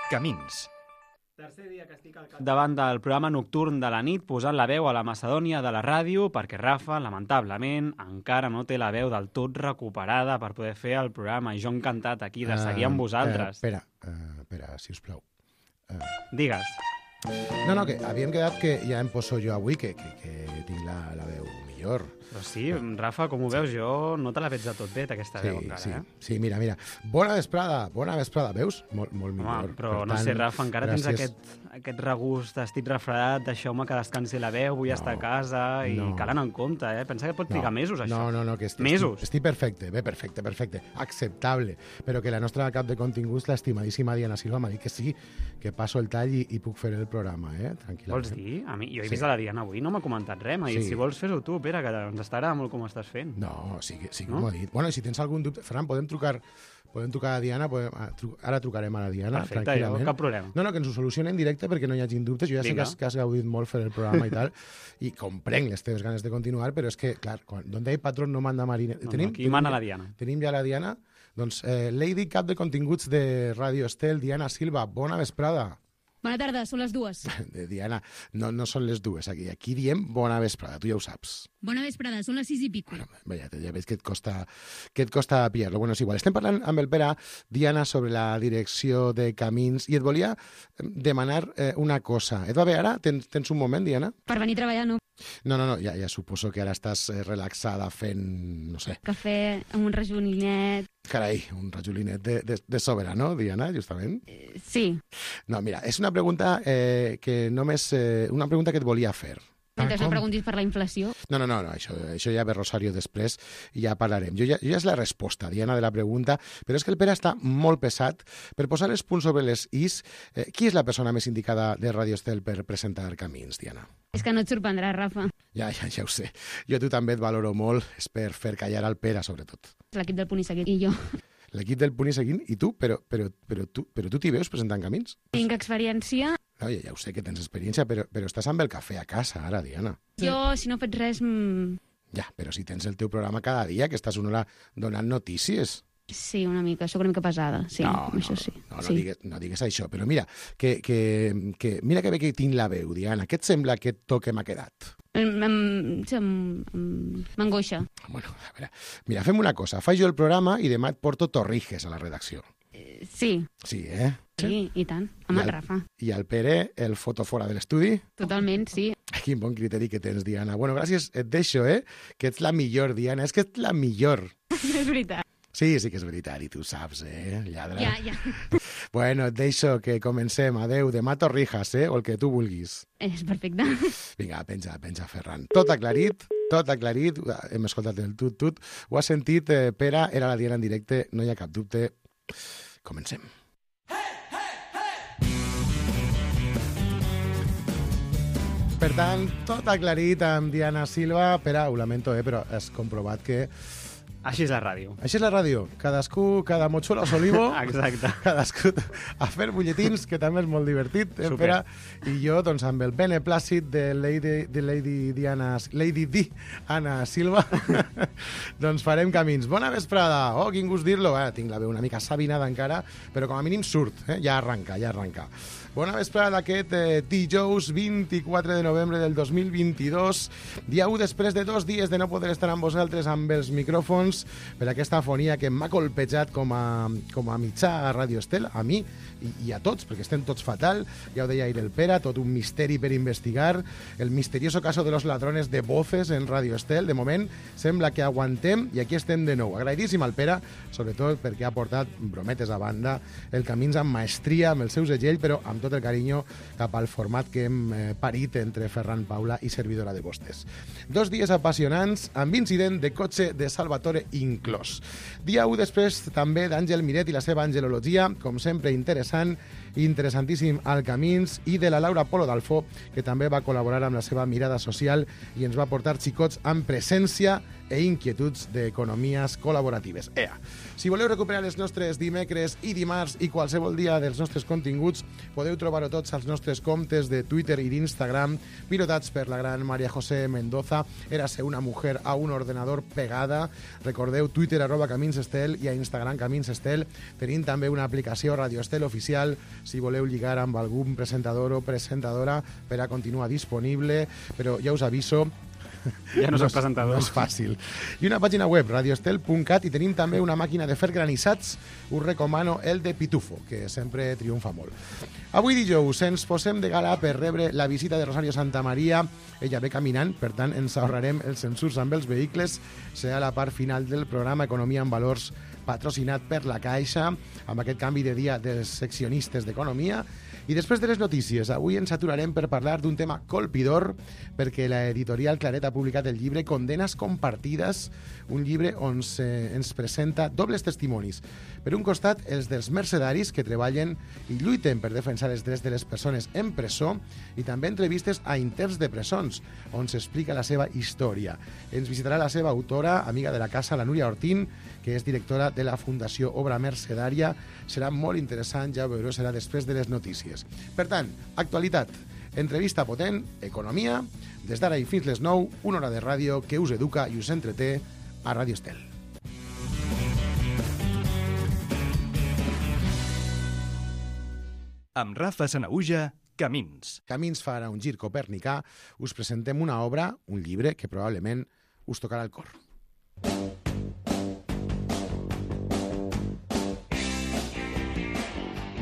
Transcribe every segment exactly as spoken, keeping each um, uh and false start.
Camins. Tercer dia que estic al davant del programa nocturn de la nit posant la veu a la Macedònia de la ràdio perquè Rafa, lamentablement, encara no té la veu del tot recuperada per poder fer el programa i jo encantat aquí de seguir amb vosaltres. Uh, espera, uh, espera, sisplau. Uh... Digues. No, no, que havíem quedat que ja em poso jo avui, que, que, que tinc la, la veu millor. Però sí, Rafa, com ho veus, jo no te la veig de tot bé, aquesta sí, veu encara, sí, eh? Sí, mira, mira. Bona vesprada, bona vesprada, veus? Molt, molt Home, millor. però per no tant, sé, Rafa, encara gràcies. tens aquest, aquest regust, estic refredat, deixeu-me que descansi la veu, vull No, estar a casa i no. calen en compte, eh? Pensa que pot trigar mesos, això. No, no, no, que estic, Mesos. Estic, estic perfecte, bé, perfecte, perfecte, acceptable, però que la nostra cap de continguts, l'estimadíssima Diana Silva, m'ha dit que sí, que passo el tall i, i puc fer el programa, eh? Tranquil·lament. Vols dir? A mi, jo he Sí. vist a la Diana avui, no m'ha comentat res, m'ha dit, Sí. si vols fes-ho tu, Pere, que ens estarà molt com estàs fent. No, sí que, sí que No? m'ho ha dit. Bueno, i si tens algun dubte, Ferran, podem trucar, podem trucar a Diana, podem, a, tru, ara trucarem a la Diana, Perfecte, tranquil·lament. jo, cap problema. No, no, que ens ho solucionen en directe perquè no hi hagin dubtes. Jo ja sé Vinga. que has, que has gaudit molt fer el programa i tal, i comprenc les teves ganes de continuar, però és que, clar, quan, donde hay patrón no manda marina. No, no, aquí mana la Diana. Tenim ja la Diana. Doncs, eh, Lady Cap de Continguts de Radio Estel, Diana Silva, bona vesprada. Bona tarda, són les dues. De Diana, no, no són les dues aquí. Aquí diem bona vesprada, tu ja ho saps. Bona vesprada, són les sis i pico. Bueno, veia, ja veig que et costa, que et costa pillar-lo. Bueno, és igual. Estem parlant amb el Pere, Diana, sobre la direcció de Camins, i et volia demanar eh, una cosa. Et va bé ara? Tens, tens un moment, Diana? Per venir a treballar, no? No, no, no, ja, ja suposo que ara estàs eh, relaxada fent, no sé, Cafè amb un rajoninet... carai, un rajolinet de, de, de sobre, no, Diana, justament? Eh, sí, No, mira, és una pregunta eh, que només... Eh, una pregunta que et volia fer. mentre Com? no preguntis per la inflació. No, no, no, no això, això ja ve Rosario després i ja parlarem. Jo ja, jo ja és la resposta, Diana, de la pregunta, però és que el Pere està molt pesat per posar els punts sobre les is. Eh, qui és la persona més indicada de Radio Estel per presentar Camins, Diana? És que no et sorprendrà, Rafa. Ja, ja, ja ho sé. Jo tu també et valoro molt, és per fer callar al Pere, sobretot. L'equip del Punt i Seguit i jo. L'equip del Punt i Seguint i tu, però, però, però tu però tu t'hi veus presentant Camins? Tinc experiència. No, ja, ja ho sé que tens experiència, però, però estàs amb el cafè a casa ara, Diana. Jo, si no faig res... Mm, Ja, però si tens el teu programa cada dia, que estàs una hora donant notícies. sí, una mica, sóc una mica pesada. Sí, no, això no, sí. no, no, sí. digues, no digues això, però mira, que, que, que, mira que bé que tinc la veu, Diana. Què et sembla aquest to que m'ha quedat? Em- em- sí, em- em- M'angoixa. Bueno, a veure, mira, fem una cosa. Faig jo el programa i demà et porto torrijes a la redacció. Eh, Sí, Sí, eh? sí, i tant. Amb I el el- Rafa. I el Pere, el foto fora de l'estudi. Totalment, sí. Quin bon criteri que tens, Diana. Bueno, gràcies, et deixo, eh? Que ets la millor, Diana. És que ets la millor. És veritat. Sí, sí que és veritat, i tu saps, eh? Lladra. Ja, ja. Bueno, et deixo que comencem. Adeu, demà torrijas, eh? O el que tu vulguis. És perfecte. Vinga, penja, penja, Ferran. Tot aclarit, tot aclarit. Hem escoltat el tut-tut. Ho has sentit, eh, Pere, era la Diana en directe, no hi ha cap dubte. Comencem. Per tant, tot aclarit amb Diana Silva. Pere, ho lamento, eh, però has comprovat que... Així és la ràdio. Així és la ràdio. Cadascú, cada motxuelo a solivo. Exacte. Cadascú a fer butlletins, que també és molt divertit, eh, Super. Pere? I jo, doncs, amb el beneplàcit de Lady, de Lady Diana, Lady Di, Anna Silva, doncs farem camins. Bona vesprada! Oh, quin gust dir-lo! Eh, tinc la veu una mica sabinada encara, però com a mínim surt, eh? Ja arranca, ja arranca. Bona vesprada d'aquest eh, dijous vint-i-quatre de novembre del dos mil vint-i-dos, dia u després de dos dies de no poder estar amb vosaltres amb els micròfons per aquesta afonia que m'ha colpejat com a, com a mitjà a Radio Estel, a mi i, i a tots, perquè estem tots fatal, ja ho deia ahir el Pere, tot un misteri per investigar, el misterioso caso de los ladrones de voces en Radio Estel. De moment sembla que aguantem i aquí estem de nou. Agraïdíssim al Pere, sobretot perquè ha portat, brometes a banda, el Camins amb maestria, amb el seu segell, però amb tot el carinyo cap al format que hem eh, parit entre Ferran Paula i servidora de vostès. Dos dies apassionants amb incident de cotxe de Salvatore inclòs. Dia u després també d'Àngel Miret i la seva angelologia, com sempre interessant, interessantíssim al Camins, i de la Laura Polo d'Alfó, que també va col·laborar amb la seva mirada social i ens va portar xicots amb presència e inquietuds d'economies col·laboratives. Ea! Si voleu recuperar els nostres dimecres i dimarts i qualsevol dia dels nostres continguts, podeu trobar-ho tots als nostres comptes de Twitter i d'Instagram, pilotats per la gran María José Mendoza, Érase una mujer a un ordenador pegada. Recordeu, Twitter arroba Camins Estel i a Instagram Camins Estel. Tenim també una aplicació Radio Estel oficial, si voleu lligar amb algun presentador o presentadora per a continuar disponible, però ja us aviso, ja no, no soc és, presentador. No és fàcil. I una pàgina web, radioestel punt cat, i tenim també una màquina de fer granissats. Us recomano el de Pitufo, que sempre triomfa molt. Avui dijous ens posem de gala per rebre la visita de Rosario Santamaría. Ella ve caminant, per tant ens ahorrarem els censurs amb els vehicles. Serà la part final del programa Economia en Valors, patrocinat per la Caixa, amb aquest canvi de dia dels seccionistes d'Economia. I després de les notícies, avui ens aturarem per parlar d'un tema colpidor, perquè l'editorial Claret ha publicat el llibre Condenes compartides, un llibre on se, ens presenta dobles testimonis. Per un costat, els dels mercedaris que treballen i lluiten per defensar els drets de les persones en presó, i també entrevistes a interns de presons, on s'explica la seva història. Ens visitarà la seva autora, amiga de la casa, la Núria Ortín, que és directora de la Fundació Obra Mercedària. Serà molt interessant, ja ho veureu, serà després de les notícies. Per tant, actualitat, entrevista potent, economia, des d'ara i fins les nou, una hora de ràdio que us educa i us entreté a Ràdio Estel. Amb Rafa Sanahuja, Camins. Camins farà un gir copernicà. Us presentem una obra, un llibre, que probablement us tocarà el cor.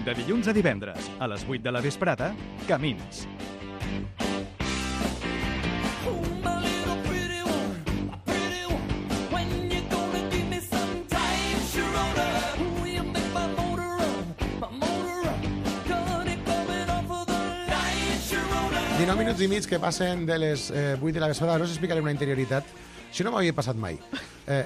De dilluns a divendres, a les vuit de la vesprada, Camins. dinou minuts i mig que passen de les eh, vuit de la vesprada. Ara us explicaré una interioritat. Això no m'havia passat mai. Eh,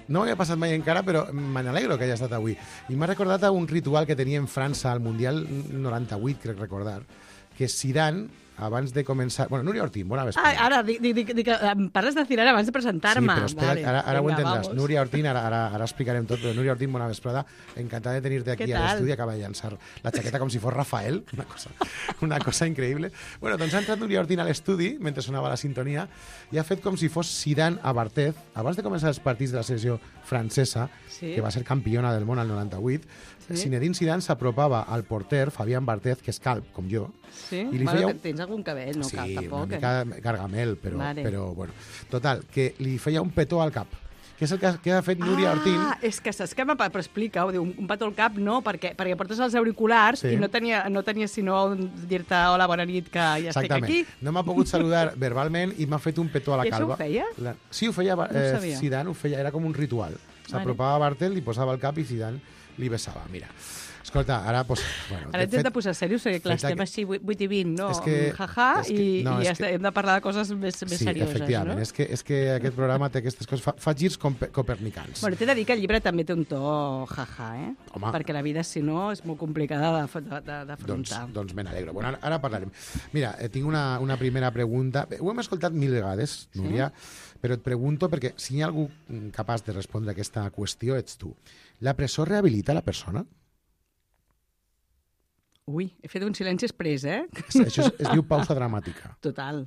no m'havia passat mai encara, però me n'alegro que hagi estat avui. I m'ha recordat a un ritual que tenia en França al Mundial noranta-vuit, crec recordar, que Zidane, abans de començar... Bueno, Núria Ortín, bona vesprada. Ah, ara, dic, dic, dic, em parles de Zidane abans de presentar-me. Sí, però espera, vale. ara, ara Vinga, ho entendràs. vamos. Núria Ortín, ara, ara, ara explicarem tot, però Núria Ortín, bona vesprada. Encantada de tenir-te aquí Què a tal? l'estudi. Acaba de llançar la xaqueta com si fos Rafael. Una cosa, una cosa increïble. Bueno, doncs ha entrat Núria Ortín a l'estudi, mentre sonava la sintonia, i ha fet com si fos Zidane a Barthez, abans de començar els partits de la selecció francesa, Sí. que va ser campiona del món al noranta-vuit. Sí. Zinedine Zidane s'apropava al porter, Fabián Barthez, que és calb, com jo, Sí? I li Bueno, feia un- tens algun cabell, no sí, cal, tampoc. una eh? mica gargamel, però, Vale. però bueno. Total, que li feia un petó al cap, que és el que, que ha fet Núria Ortín. Ah, és que saps què m'ha... Però explica-ho, diu, un petó al cap no, perquè, perquè portes els auriculars Sí. i no tenia, no tenia sinó un- dir-te hola, bona nit, que ja estic Exactament. aquí. No m'ha pogut saludar verbalment i m'ha fet un petó a la I això calva. ho feia? La... Sí, ho feia ho eh, sabia. Zidane, ho feia, era com un ritual. S'apropava a Bartel, li posava el cap i Zidane li besava. Mira, escolta, ara... Pues, bueno, Ara ens hem de posar serios, perquè clar, fet estem així vuit i vint, no? És que- Jaja, és que- i, no, i és que- hem de parlar de coses més, més sí, serioses, efectivament, no? és que, és que aquest programa té aquestes coses, fa, fa girs compe- copernicans. Bueno, t'he de dir que el llibre també té un to jaja, eh? Home. Perquè la vida, si no, és molt complicada d'af- de- de- Doncs, d'afrontar. doncs me n'alegro. Bueno, ara, ara parlarem. Mira, eh, tinc una, una primera pregunta. Ho hem escoltat mil vegades, Núria, però et pregunto perquè si hi ha algú mm, capaç de respondre a aquesta qüestió ets tu. La presó rehabilita la persona? Ui, he fet un silenci express, eh? Això es, es diu pausa dramàtica. Total.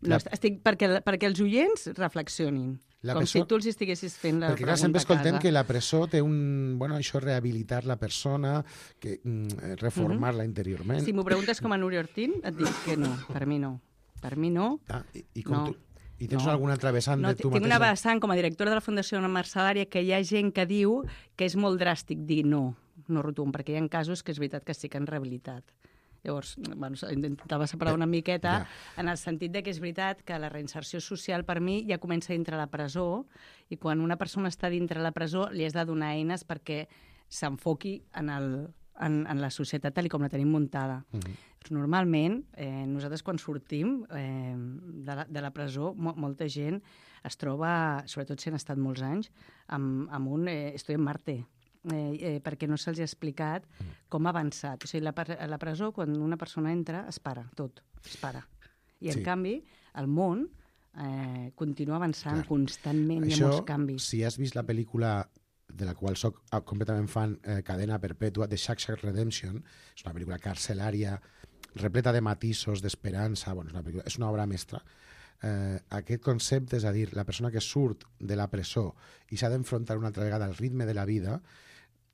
La- No, estic, perquè, perquè els oients reflexionin. La com presó- si tu els estiguessis fent la Perquè clar, pregunta sempre a escoltem casa. que la presó té un... Bueno, això rehabilitar la persona, que mm, reformar-la interiorment. Si m'ho preguntes com a Núria Ortín, et dic que no, per mi no. Per mi no. Ah, i, i, com No. tu, I tens No. alguna altra vessant No, de tu tinc una mateixa? vessant com a directora de la Fundació Mercedària que hi ha gent que diu que és molt dràstic dir no, no rotund, perquè hi ha casos que és veritat que sí que han rehabilitat. Llavors, bueno, intentava separar una miqueta Ja. en el sentit de que és veritat que la reinserció social per mi ja comença dintre la presó i quan una persona està dintre la presó li has de donar eines perquè s'enfoqui en, el, en, en la societat tal i com la tenim muntada. Mm -hmm. Normalment, eh, nosaltres quan sortim eh, de, la, de la presó, mo molta gent es troba, sobretot si han estat molts anys, amb, amb un eh, estoy en Marte, eh, eh, perquè no se'ls ha explicat com ha avançat. O sigui, la, a la presó, quan una persona entra, es para, tot, es para. I, en Sí. canvi, al món, eh, continua avançant Clar. constantment, hi ha Això, molts canvis. si has vist la pel·lícula de la qual soc completament fan, eh, Cadena Perpètua, de Shawshank Redemption, és una pel·lícula carcelària, repleta de matisos, d'esperança, bueno, és, una pel·lícula, és una obra mestra. Eh, aquest concepte, és a dir, la persona que surt de la presó i s'ha d'enfrontar una altra vegada al ritme de la vida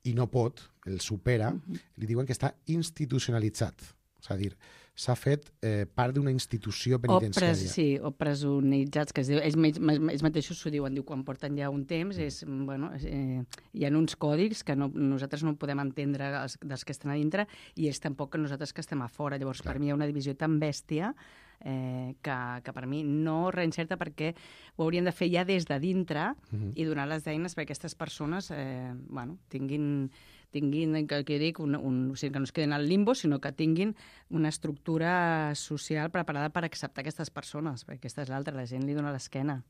i no pot, el supera, uh-huh. li diuen que està institucionalitzat. És a dir, s'ha fet eh, part d'una institució penitenciària. O, pres, sí, o presonitzats, que es diu, ells, ells mateixos s'ho diuen, diu, quan porten ja un temps, és, bueno, eh, hi ha uns còdics que no, nosaltres no podem entendre els, dels que estan a dintre i és tampoc que nosaltres que estem a fora. Llavors, Clar. per mi hi ha una divisió tan bèstia eh, que, que per mi no reencerta perquè ho hauríem de fer ja des de dintre uh-huh. i donar les eines perquè aquestes persones eh, bueno, tinguin... tinguin, que, que dic, un, un, o sigui, que no es quedin al limbo, sinó que tinguin una estructura social preparada per acceptar aquestes persones, perquè aquesta és l'altra, la gent li dona l'esquena.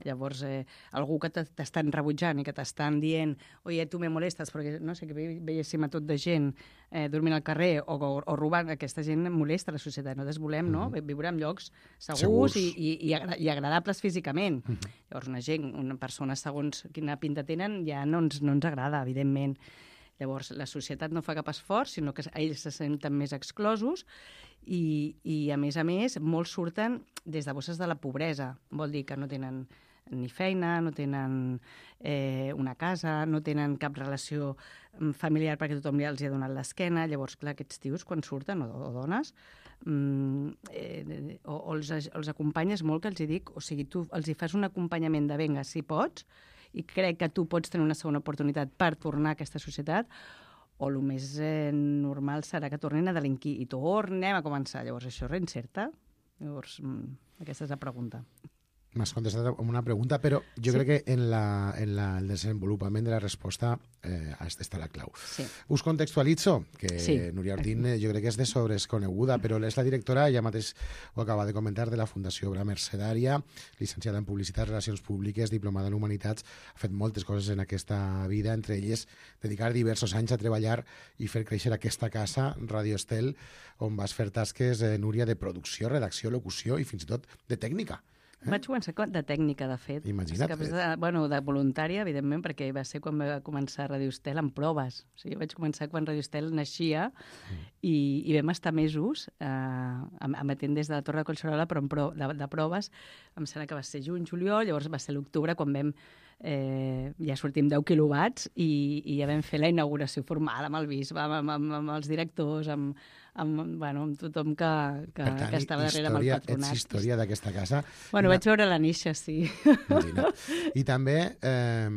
Llavors, eh, algú que t'estan rebutjant i que t'estan dient oye, tu me molestes, perquè no sé, que veiéssim a tot de gent eh, dormint al carrer o, o, o robant, aquesta gent molesta la societat. Nosaltres volem no? mm. viure en llocs segurs, segurs. I, i, i, agra i agradables físicament. Mm -hmm. Llavors, una gent, una persona, segons quina pinta tenen, ja no ens, no ens agrada, evidentment. Llavors, la societat no fa cap esforç, sinó que ells se senten més exclosos i, i a més a més, molts surten des de bosses de la pobresa. Vol dir que no tenen ni feina, no tenen eh, una casa, no tenen cap relació familiar perquè tothom ja els ha donat l'esquena. Llavors, clar, aquests tios, quan surten, o, o dones, mm, eh, o, o els, els acompanyes molt, que els hi dic, o sigui, tu els hi fas un acompanyament de venga, si pots, i crec que tu pots tenir una segona oportunitat per tornar a aquesta societat, o el més eh, normal serà que tornin a delinquir i tornem a començar. Llavors, això reinserta? Llavors, mm, aquesta és la pregunta. M'has contestat amb una pregunta, però jo sí. crec que en, la, en la, el desenvolupament de la resposta eh, està la clau. Sí. Us contextualitzo, que sí. Núria Ortín eh, jo crec que és de sobresconeguda, però és la directora, ja mateix ho acaba de comentar, de la Fundació Obra Mercedària, llicenciada en Publicitat, Relacions Públiques, diplomada en Humanitats, ha fet moltes coses en aquesta vida, entre elles dedicar diversos anys a treballar i fer créixer aquesta casa, Radio Estel, on vas fer tasques, eh, Núria, de producció, redacció, locució i fins i tot de tècnica. Eh? Vaig començar de tècnica, de fet. Imagina't. És que, de, bueno, de voluntària, evidentment, perquè va ser quan va començar Radio Estel amb proves. O sigui, vaig començar quan Radio Estel naixia mm. i, i vam estar mesos eh, emetent des de la Torre de Collserola, però pro, de, de proves. Em sembla que va ser juny, juliol, llavors va ser l'octubre quan vam eh, ja sortim deu quilowatts i, i ja vam fer la inauguració formal amb el bisbe, amb, amb, amb, amb els directors, amb, amb, bueno, amb tothom que, que, tant, que estava darrere amb el patronat. Ets història d'aquesta casa. Bueno, vaig veure la néixer, sí. Imagina't. I també eh,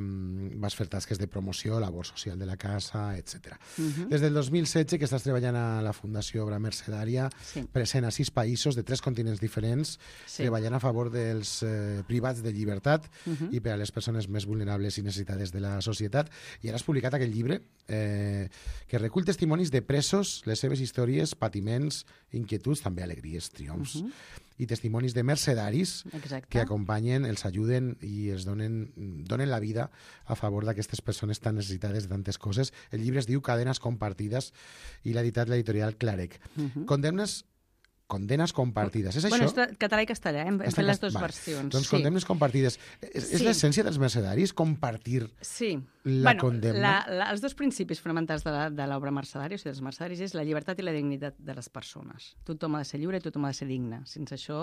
vas fer tasques de promoció, labor social de la casa, etcètera. Uh-huh. Des del dos mil setze que estàs treballant a la Fundació Obra Mercedària, sí. present a sis països de tres continents diferents, sí. treballant a favor dels eh, privats de llibertat uh-huh. i per a les persones més vulnerables i necessitades de la societat. I ara has publicat aquest llibre eh, que recull testimonis de presos, les seves històries, patiments, inquietuds, també alegries, triomfs, uh-huh. i testimonis de mercedaris Exacte. que acompanyen, els ajuden i els donen, donen la vida a favor d'aquestes persones tan necessitades de tantes coses. El llibre es diu Cadenes compartides i l'ha editat l'editorial Clarec. Uh-huh. Condemnes Condenes compartides. És bueno, això? És català i castellà, hem fet les dues vale. versions. Doncs sí. condemnes compartides. És, sí. és l'essència dels mercedaris compartir sí. la bueno, condemna? La, la, els dos principis fonamentals de l'obra mercedària, o sigui, dels mercedaris, és la llibertat i la dignitat de les persones. Tothom ha de ser lliure i tothom ha de ser digne. Sense això...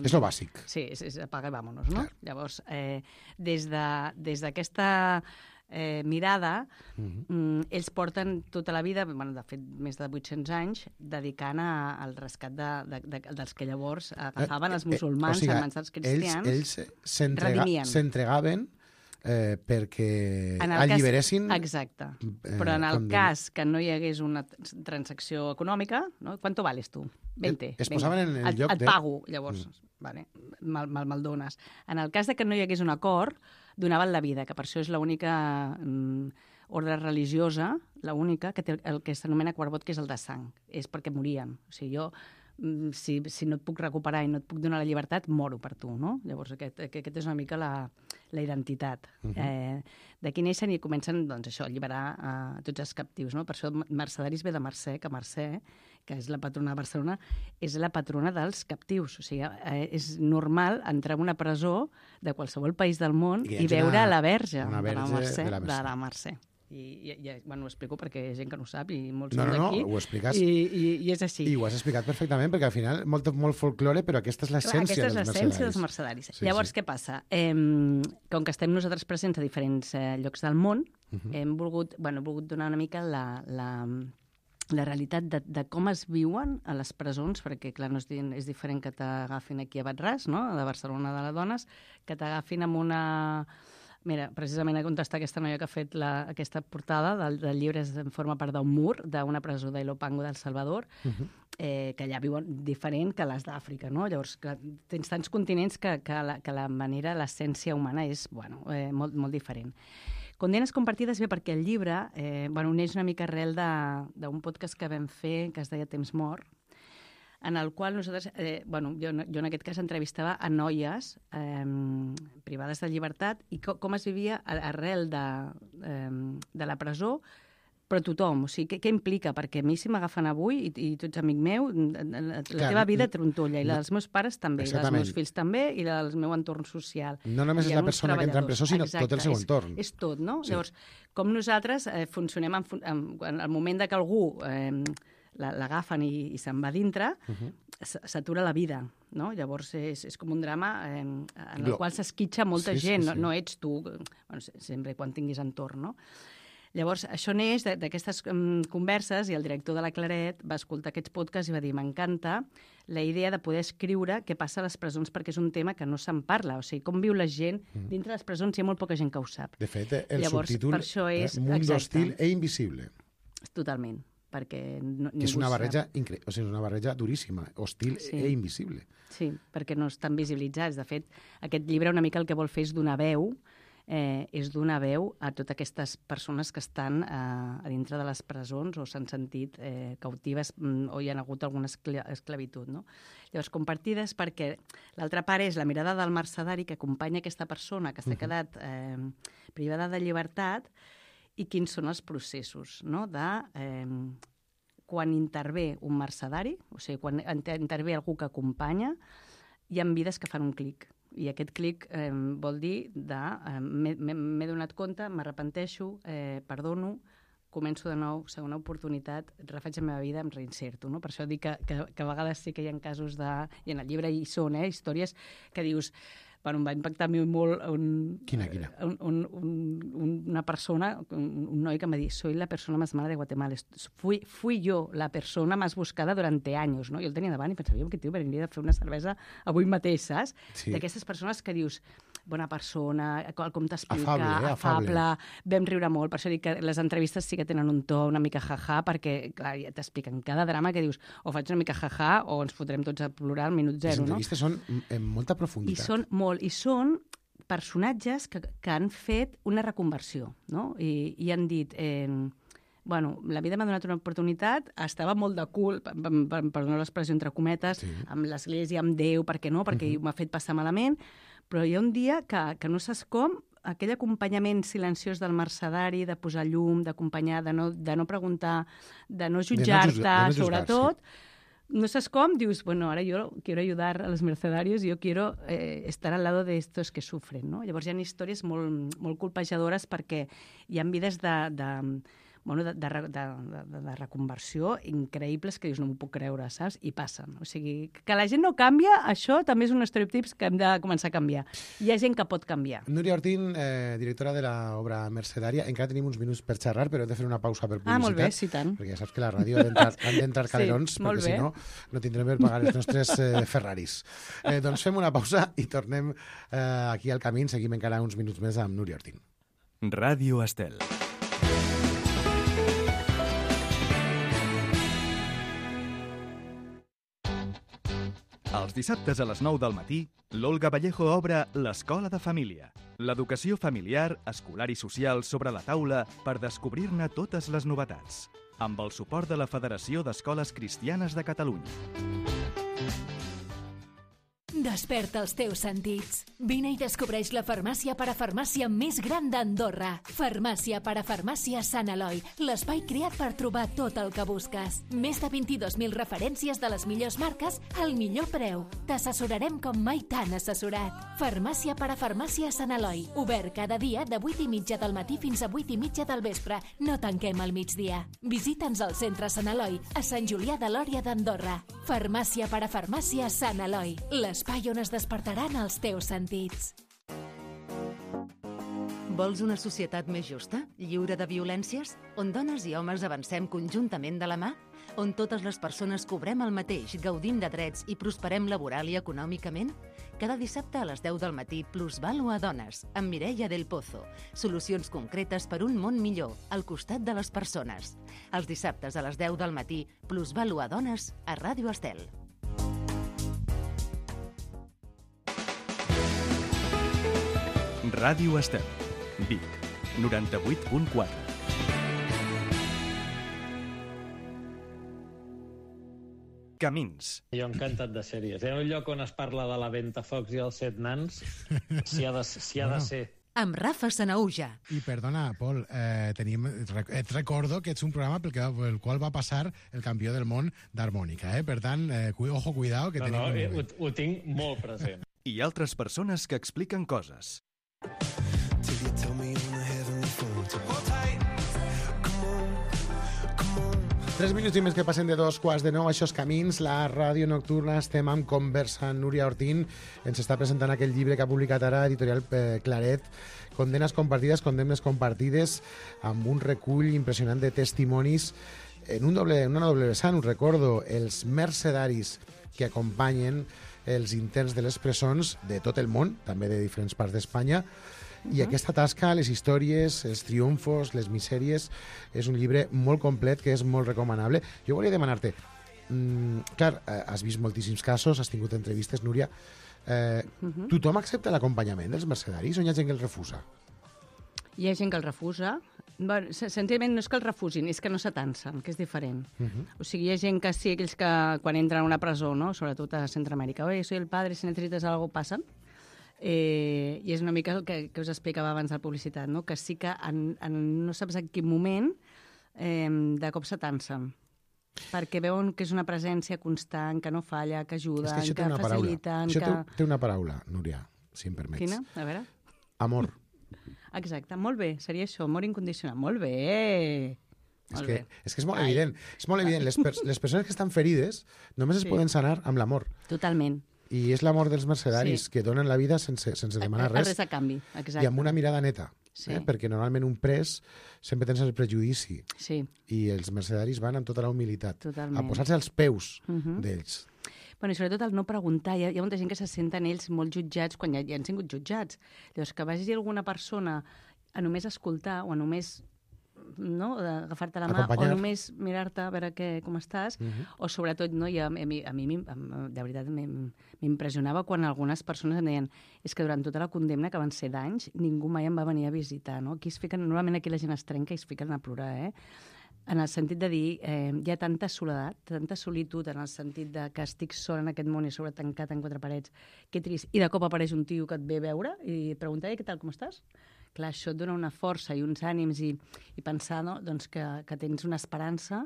És lo bàsic. Sí, és, és apaga i vámonos, no? Clar. Llavors, eh, des d'aquesta... De, Eh, mirada, uh-huh. mm, ells porten tota la vida, bueno, de fet més de vuit-cents anys, dedicant a, al rescat de, de, de, dels que llavors agafaven els musulmans eh, eh, o sigui, en mans dels cristians. Ells, ells s'entregaven eh, perquè alliberessin... Cas, exacte. Eh, Però en el condemn... cas que no hi hagués una transacció econòmica, no? ¿Cuánto vales tu? veinte. Es posaven en el et, lloc et de... Et pago, llavors. Mm. Vale, mal, mal, mal dones. En el cas de que no hi hagués un acord, donaven la vida, que per això és l'única mm, ordre religiosa, l'única, que té el que s'anomena quarbot, que és el de sang. És perquè morien. O sigui, jo si, si no et puc recuperar i no et puc donar la llibertat, moro per tu, no? Llavors, aquest, aquest és una mica la, la identitat. Uh -huh. eh, D'aquí neixen i comencen, doncs, això, a alliberar eh, tots els captius, no? Per això Mercedaris ve de Mercè, que Mercè, que és la patrona de Barcelona, és la patrona dels captius. O sigui, eh, és normal entrar en una presó de qualsevol país del món i, i veure una, la verge, una verge de la Mercè. De la Mercè. De la Mercè. I, i, i bueno, ho explico perquè hi ha gent que no ho sap i molts no, són no, d'aquí. no, ho expliques. I, i, I és així. I ho has explicat perfectament, perquè al final molt, molt folklore, però aquesta és l'essència dels mercedaris. Aquesta és l'essència dels mercedaris. Sí, Llavors, sí. Què passa? Eh, com que estem nosaltres presents a diferents eh, llocs del món, uh -huh. hem volgut, bueno, volgut donar una mica la, la, la realitat de, de com es viuen a les presons, perquè, clar, no és, és diferent que t'agafin aquí a Batràs, no?, de Barcelona de les dones, que t'agafin amb una... Mira, precisament a contestar aquesta noia que ha fet la, aquesta portada del, del llibre en forma part d'un mur d'una presó d'Ilopango del Salvador, uh -huh. eh, que allà viuen diferent que les d'Àfrica, no? Llavors, que tens tants continents que, que, la, que la manera, l'essència humana és, bueno, eh, molt, molt diferent. Condenes compartides ve perquè el llibre eh, bueno, uneix una mica arrel d'un podcast que vam fer, que es deia Temps mort, en el qual nosaltres, eh, bueno, jo, jo en aquest cas entrevistava a noies eh, privades de llibertat i co com es vivia arrel de, eh, de la presó, però tothom, o sigui, què, què implica? Perquè a mi si m'agafen avui, i, i tu ets amic meu, la, la Clar, teva vida trontolla, i la dels meus pares també, i la dels meus fills també, i la del meu entorn social. No només és la persona que entra en presó, sinó Exacte, tot el seu és, entorn. És tot, no? Sí. Llavors, com nosaltres eh, funcionem en, en, en el moment de que algú... Eh, l'agafen i, i se'n va dintre, uh -huh. s'atura la vida, no? Llavors és, és com un drama eh, en el Glo qual s'esquitxa molta sí, gent, sí, sí. No, no ets tu, bueno, sempre quan tinguis entorn, no? Llavors, això neix d'aquestes um, converses i el director de la Claret va escoltar aquests podcasts i va dir m'encanta la idea de poder escriure què passa a les presons perquè és un tema que no se'n parla, o sigui, com viu la gent mm. dintre les presons hi ha molt poca gent que ho sap. De fet, el Llavors, subtítol per això és, eh, Mundo hostil e invisible. Totalment. Perquè no, és una barreja incre... o sigui, és una barreja duríssima, hostil sí. e invisible. Sí, perquè no estan visibilitzats. De fet, aquest llibre una mica el que vol fer és donar veu, eh, és donar veu a totes aquestes persones que estan eh, a dintre de les presons o s'han sentit eh, cautives mm, o hi ha hagut alguna esclavitud, no? Llavors, compartides perquè l'altra part és la mirada del mercedari que acompanya aquesta persona que s'ha uh-huh. quedat eh, privada de llibertat i quins són els processos, no?, de eh, quan intervé un mercedari, o sigui, quan intervé algú que acompanya, hi ha vides que fan un clic. I aquest clic eh, vol dir de eh, m'he donat compte, m'arrepenteixo, eh, perdono, començo de nou, segona oportunitat, refaig la meva vida, em reinserto, no? Per això dic que, que, que a vegades sí que hi ha casos de... I en el llibre hi són, eh, històries que dius... Bueno, em va impactar a mi molt un, quina, quina? Un, un, un, una persona, un, un noi que me dice, soy la persona más mala de Guatemala. Fui, fui yo la persona más buscada durante años, no? Jo el tenia davant i pensava, jo, que tio, venia a fer una cervesa avui mateix, saps? Sí. D'aquestes persones que dius, bona persona, com t'explica, afable, eh? afable, afable, vam riure molt. Per això dic que les entrevistes sí que tenen un to una mica jaja, perquè, clar, ja t'expliquen cada drama que dius, o faig una mica jaja o ens fotrem tots a plorar al minut zero, no? Les entrevistes són en molta profunditat. I són molt, i són personatges que, que han fet una reconversió, no? I, i han dit... Eh, bueno, la vida m'ha donat una oportunitat, estava molt de cul, per, per, per donar l'expressió entre cometes, sí. amb l'Església, amb Déu, per què no? Perquè uh-huh. m'ha fet passar malament, però hi ha un dia que, que no saps com, aquell acompanyament silenciós del mercedari, de posar llum, d'acompanyar, de, no, de no preguntar, de no jutjar-te, no sobretot, sí. no saps com, dius, bueno, ara jo quiero ayudar a los mercedarios, yo quiero eh, estar al lado de estos que sufren, no? Llavors hi ha històries molt, molt colpejadores perquè hi ha vides de... de bueno, de, de, de, de, de reconversió increïbles que dius, no m'ho puc creure, saps? I passen. O sigui, que la gent no canvia, això també és un estereotips que hem de començar a canviar. Hi ha gent que pot canviar. Núria Ortín, eh, directora de l'obra Mercedària, encara tenim uns minuts per xerrar, però hem de fer una pausa per publicitat. Ah, molt bé, sí, tant. Perquè ja saps que la ràdio han d'entrar calerons, sí, perquè si no, no tindrem per pagar els nostres eh, Ferraris. Eh, doncs fem una pausa i tornem eh, aquí al camí, seguim encara uns minuts més amb Núria Ortín. Ràdio Estel. Els dissabtes a les nou del matí, l'Olga Vallejo obre l'Escola de Família. L'educació familiar, escolar i social sobre la taula per descobrir-ne totes les novetats. Amb el suport de la Federació d'Escoles Cristianes de Catalunya. Desperta els teus sentits. Vine i descobreix la farmàcia parafarmàcia més gran d'Andorra. Farmàcia parafarmàcia Sant Eloi, l'espai creat per trobar tot el que busques. Més de vint-i-dos mil referències de les millors marques al millor preu. T'assessorarem com mai t'han assessorat. Farmàcia parafarmàcia Sant Eloi, obert cada dia de vuit i mitja del matí fins a vuit i mitja del vespre. No tanquem al migdia. Visita'ns al centre Sant Eloi, a Sant Julià de Lòria d'Andorra. Farmàcia parafarmàcia Sant Eloi, l'espai on es despertaran els teus sentits. Vols una societat més justa, lliure de violències? On dones i homes avancem conjuntament de la mà? On totes les persones cobrem el mateix, gaudint de drets i prosperem laboral i econòmicament? Cada dissabte a les deu del matí, Plusvalue a Dones, amb Mireia del Pozo. Solucions concretes per un món millor, al costat de les persones. Els dissabtes a les deu del matí, Plusvalue a Dones, a Ràdio Estel. Ràdio Estel, Vic, noranta-vuit punt quatre. Camins. Jo encantat de sèries. Hi ha un lloc on es parla de la Ventafocs i els set nans, si ha de, si ha de ser. Amb Rafa Sanauja. I perdona, Pol, eh, tenim, et recordo que ets un programa pel, que, pel qual va passar el campió del món d'harmònica, eh? Per tant, eh, ojo, cuidao, que no, tenim... No, un... eh, ho, ho tinc molt present. I altres persones que expliquen coses. Tres minuts i més que passen de dos quarts de nou, això és Camins, la ràdio nocturna, estem amb conversa. Núria Ortín ens està presentant aquell llibre que ha publicat ara Editorial eh, Claret, Condenes compartides, condemnes compartides, amb un recull impressionant de testimonis en un doble, en una doble vessant, us recordo, els mercedaris que acompanyen els interns de les presons de tot el món, també de diferents parts d'Espanya. I aquesta tasca, les històries, els triomfos, les misèries, és un llibre molt complet que és molt recomanable. Jo volia demanar-te, mm, clar, has vist moltíssims casos, has tingut entrevistes, Núria, eh, uh -huh. tothom accepta l'acompanyament dels mercedaris o hi ha gent que el refusa? Hi ha gent que el refusa. Bueno, senzillament no és que el refusin, és que no s'atansen, que és diferent. Uh -huh. O sigui, hi ha gent que sí, aquells que quan entren a una presó, no? Sobretot a Centroamèrica, oye, soy el padre, si necesitas algo, passen. Eh, I és una mica el que, que us explicava abans de la publicitat, no? Que sí que en, en, no saps en quin moment eh, de cop s'atansen, perquè veuen que és una presència constant, que no falla, que ajuda, que faciliten... Això que... té, té una paraula, Núria, si em permets. Quina? A veure. Amor. Exacte, molt bé, seria això, amor incondicional. Molt bé! És Molt que, bé. és que és molt Ai. evident. És molt evident. Les, per, les persones que estan ferides només sí. es poden sanar amb l'amor. Totalment. I és l'amor dels mercedaris sí. que donen la vida sense, sense demanar res. Res a canvi, exacte. I amb una mirada neta. Sí. Eh? Perquè normalment un pres sempre tens el prejudici. Sí. I els mercedaris van amb tota la humilitat. Totalment. A posar-se als peus uh -huh. d'ells. Bueno, i sobretot el no preguntar. Hi ha, hi ha molta gent que se senten ells molt jutjats quan ja, ja han sigut jutjats. Llavors, que vagi alguna persona a només escoltar o a només no, agafar-te la mà Acompanyar. o només mirar-te a veure què, com estàs, uh -huh. o sobretot, no, i a, a mi, a mi de veritat m'impressionava quan algunes persones em deien és que durant tota la condemna, que van ser d'anys, ningú mai em va venir a visitar, no? Aquí es fiquen, normalment aquí la gent es trenca i es fiquen a plorar, eh? En el sentit de dir, eh, hi ha tanta soledat, tanta solitud, en el sentit de que estic sola en aquest món i sobre tancat en quatre parets, que trist, i de cop apareix un tio que et ve a veure i et pregunta, què tal, com estàs? Clar, això et dona una força i uns ànims i, i pensar, no?, doncs que, que tens una esperança,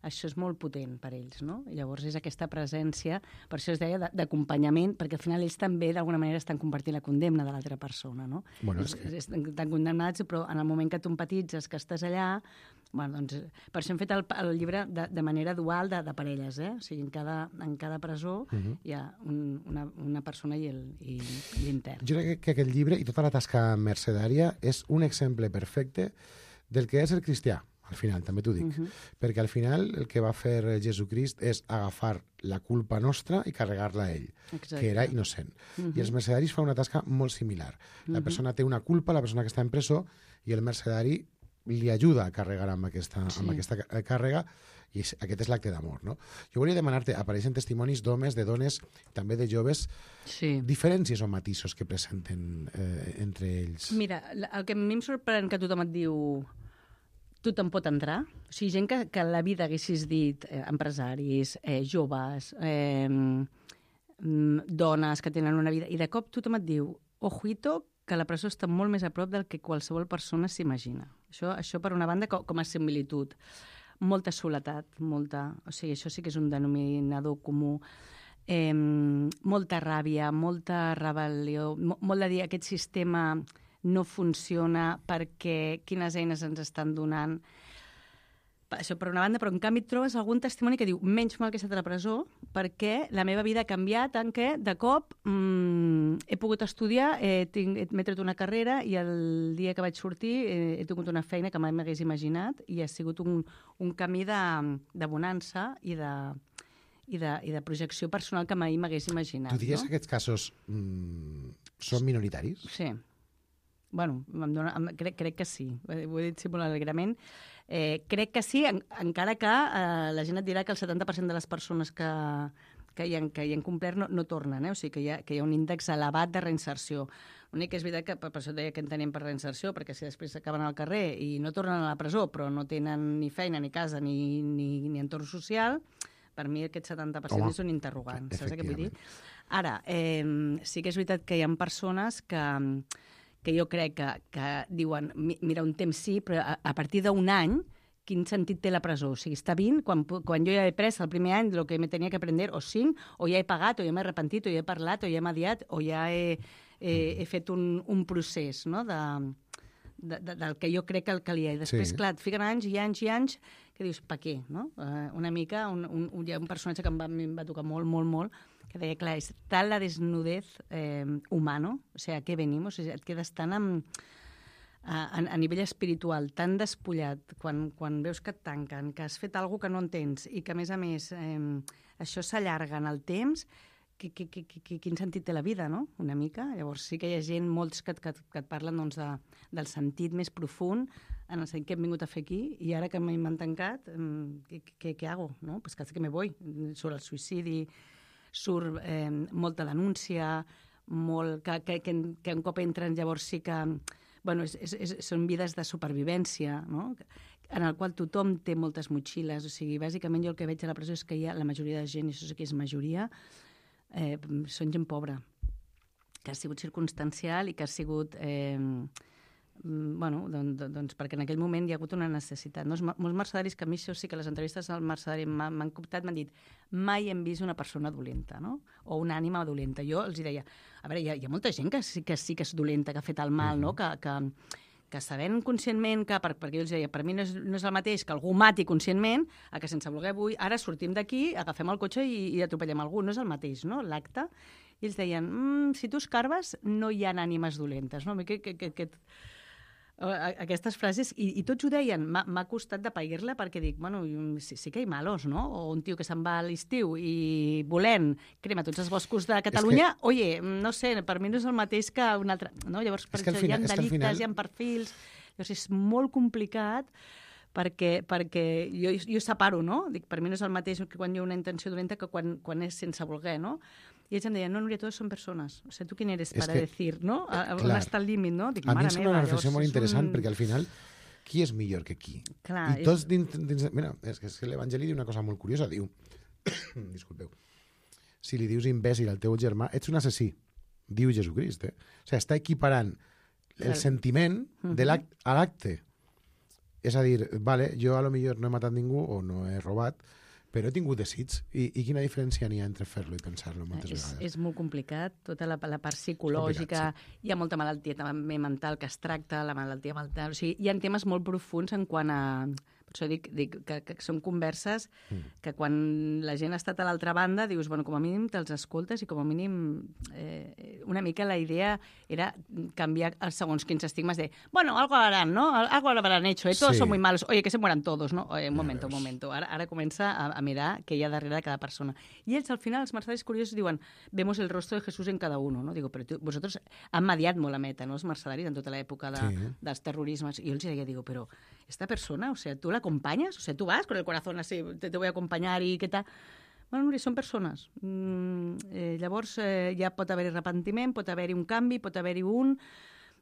això és molt potent per ells, no? I llavors és aquesta presència, per això es deia d'acompanyament, perquè al final ells també d'alguna manera estan compartint la condemna de l'altra persona, no? Bueno, és que... Estan condemnats, però en el moment que tu empatitzes, que estàs allà, bueno, doncs, per això hem fet el, el llibre de, de manera dual de, de parelles, eh? O sigui, en cada, en cada presó uh -huh. hi ha un, una, una persona i l'intern. Jo crec que aquest llibre i tota la tasca mercedària és un exemple perfecte del que és el cristià, al final, també t'ho dic. Uh -huh. Perquè al final el que va fer Jesucrist és agafar la culpa nostra i carregar-la a ell, Exacte. que era innocent. Uh -huh. I els mercedaris fan una tasca molt similar. La uh -huh. persona té una culpa, la persona que està en presó, i el mercedari li ajuda a carregar amb aquesta, sí. amb aquesta càrrega, i aquest és l'acte d'amor, no? Jo volia demanar-te, apareixen testimonis d'homes, de dones, també de joves, sí. diferències o matisos que presenten eh, entre ells? Mira, el que a mi em sorprèn que tothom et diu tothom pot entrar, o sigui, gent que, que a la vida haguessis dit eh, empresaris, eh, joves, eh, mm, dones que tenen una vida, i de cop tothom et diu, ojito, que la presó està molt més a prop del que qualsevol persona s'imagina. Això, això per una banda, com, com a similitud. Molta soledat, molta... O sigui, això sí que és un denominador comú. Eh, molta ràbia, molta rebel·lió, mo, molt de dir aquest sistema no funciona perquè quines eines ens estan donant. Això per una banda, però en canvi et trobes algun testimoni que diu menys mal que he estat a la presó perquè la meva vida ha canviat en què de cop mmm, he pogut estudiar, eh, tinc, m'he tret una carrera i el dia que vaig sortir eh, he tingut una feina que mai m'hagués imaginat i ha sigut un, un camí de, de bonança i de, i, de, i de projecció personal que mai m'hagués imaginat. Tu diries no? que aquests casos mm, són minoritaris? Sí. Bueno, em dona, em, crec, crec que sí. Ho he dit sí molt alegrament. Eh, crec que sí, en, encara que eh, la gent et dirà que el setanta per cent de les persones que, que, hi han, que hi han complert no, no tornen, eh? O sigui que hi, ha, que hi ha un índex elevat de reinserció. L'únic que és veritat que per això deia que entenem per reinserció, perquè si després acaben al carrer i no tornen a la presó, però no tenen ni feina, ni casa, ni, ni, ni entorn social, per mi aquest setanta per cent Home, és un interrogant. Saps què vull dir? Ara, eh, sí que és veritat que hi ha persones que... que jo crec que, que diuen, mira, un temps sí, però a, a partir d'un any, quin sentit té la presó? O sigui, està vint, quan, quan jo ja he pres el primer any el que me tenia que aprendre, o cinc, o ja he pagat, o ja m'he arrepentit, o ja he parlat, o ja he mediat, o ja he, he, he fet un, un procés, no?, de, de, de, del que jo crec que el calia. I després, sí. clar, et fiquen anys i anys i anys que dius, pa què, no? Uh, una mica, un, un, hi ha un personatge que em va, em va tocar molt, molt, molt, que deia, clar, és tal la desnudez eh, humano, o sigui, a què venim? O sigui, et quedes tan amb, a, a nivell espiritual, tan despullat, quan, quan veus que et tanquen, que has fet alguna que no entens i que, a més a més, eh, això s'allarga en el temps, que, que, que, que, quin sentit té la vida, no? Una mica. Llavors sí que hi ha gent, molts que, que, que et parlen doncs, de, del sentit més profund, en el sentit que hem vingut a fer aquí, i ara que m'han tancat, eh, què, què hago? No? Pues casi que me voy. Sobre el suïcidi, surt eh, molta denúncia, molt, que, que, que, que un cop entren llavors sí que... Bueno, és, és, és, són vides de supervivència, no? En el qual tothom té moltes motxilles. O sigui, bàsicament jo el que veig a la presó és que hi ha la majoria de gent, i això sí que és majoria, eh, són gent pobra, que ha sigut circumstancial i que ha sigut... Eh, bueno, doncs, doncs perquè en aquell moment hi ha hagut una necessitat. No? Molts mercedaris, que a mi això sí que les entrevistes al mercedari m'han comptat, m'han dit mai hem vist una persona dolenta, no? O una ànima dolenta. Jo els deia, a veure, hi ha, hi ha molta gent que sí, que sí que és dolenta, que ha fet el mal, no? Que, que, que sabent conscientment que, per, perquè jo els deia, per mi no és, no és el mateix que algú mati conscientment, a que sense voler avui, ara sortim d'aquí, agafem el cotxe i, i atropellem algú. No és el mateix, no? L'acte. I ells deien, mm, si tu escarbes, no hi ha ànimes dolentes, no? Que, que, que, que, aquestes frases, i, i tots ho deien, m'ha costat de pair-la perquè dic, bueno, sí, sí que hi ha malos, no? O un tio que se'n va a l'estiu i volent crema tots els boscos de Catalunya, que... oye, no sé, per mi no és el mateix que un altre... No? Llavors, per això hi ha delictes, final... hi ha perfils, llavors és molt complicat perquè, perquè jo, jo separo, no? Dic, per mi no és el mateix que quan hi ha una intenció dolenta que quan, quan és sense voler, no? I ells em deien, no, Núria, todos son persones. O sea, ¿tú quién eres para que, decir, no? On està el límit, no? Dic, a mi em sembla una reflexió molt interessant, un... perquè al final, qui és millor que qui? Clar, I tots dins... dins mira, és que, és que l'Evangeli diu una cosa molt curiosa, diu... Disculpeu. Si li dius imbècil al teu germà, ets un assassí, diu Jesucrist, eh? O sigui, està equiparant el sentiment de l'acte a l'acte. És a dir, vale, jo a lo millor no he matat ningú o no he robat, però he tingut desig. I, i quina diferència n'hi ha entre fer-lo i pensar-lo moltes és, vegades? És molt complicat, tota la, la part psicològica, sí. Hi ha molta malaltia també mental que es tracta, la malaltia mental... O sigui, hi ha temes molt profuns en quant a... Per això dic, dic que, que són converses mm. que quan la gent ha estat a l'altra banda dius, bueno, com a mínim te'ls escoltes i com a mínim eh, una mica la idea era canviar els segons quins estigmes de, bueno, algo harán, ¿no? Algo habrán hecho, eh? Todos sí. Son muy malos. Oye, que se mueran todos, ¿no? Oye, un momento, un momento. Ara, ara comença a, a mirar què hi ha darrere de cada persona. I ells, al final, els mercedaris curiosos diuen, vemos el rostro de Jesús en cada uno, ¿no? Digo, però tu, vosaltres han mediat molt la meta, no? Els mercedaris en tota l'època de, sí. dels terrorismes. I jo els deia, digo, però esta persona, o sea, tu la acompañas, o sea, tú vas con el corazón así, te, te voy a acompañar i què tal... Bueno, són persones. Mm, eh, llavors, eh, ja pot haver-hi arrepentiment, pot haver-hi un canvi, pot haver-hi un...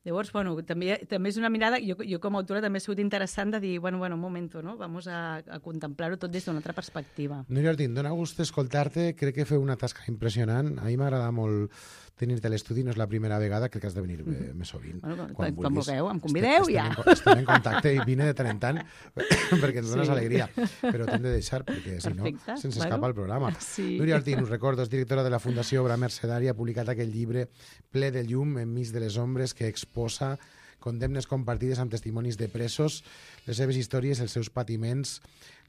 Llavors, bueno, també, també és una mirada, jo, jo com a autora també ha sigut interessant de dir, bueno, bueno, un moment, no? Vamos a, a contemplar-ho tot des d'una altra perspectiva. Núria Ortín, dona gust escoltar-te, crec que feu una tasca impressionant. A mi m'agrada molt tenir-te a l'estudi, no és la primera vegada, crec que has de venir mm. més sovint. Bueno, quan, quan vulgueu, em convideu estem, ja. Estem en, estem en contacte i vine de tant en tant perquè ens dones sí. alegria, però t'hem de deixar perquè si Perfecte. no se'ns bueno. escapa el programa. Sí. Núria Ortín, us recordo, és directora de la Fundació Obra Mercedària, ha publicat aquell llibre ple de llum enmig de les ombres que exposa condemnes compartides amb testimonis de presos, les seves històries, els seus patiments,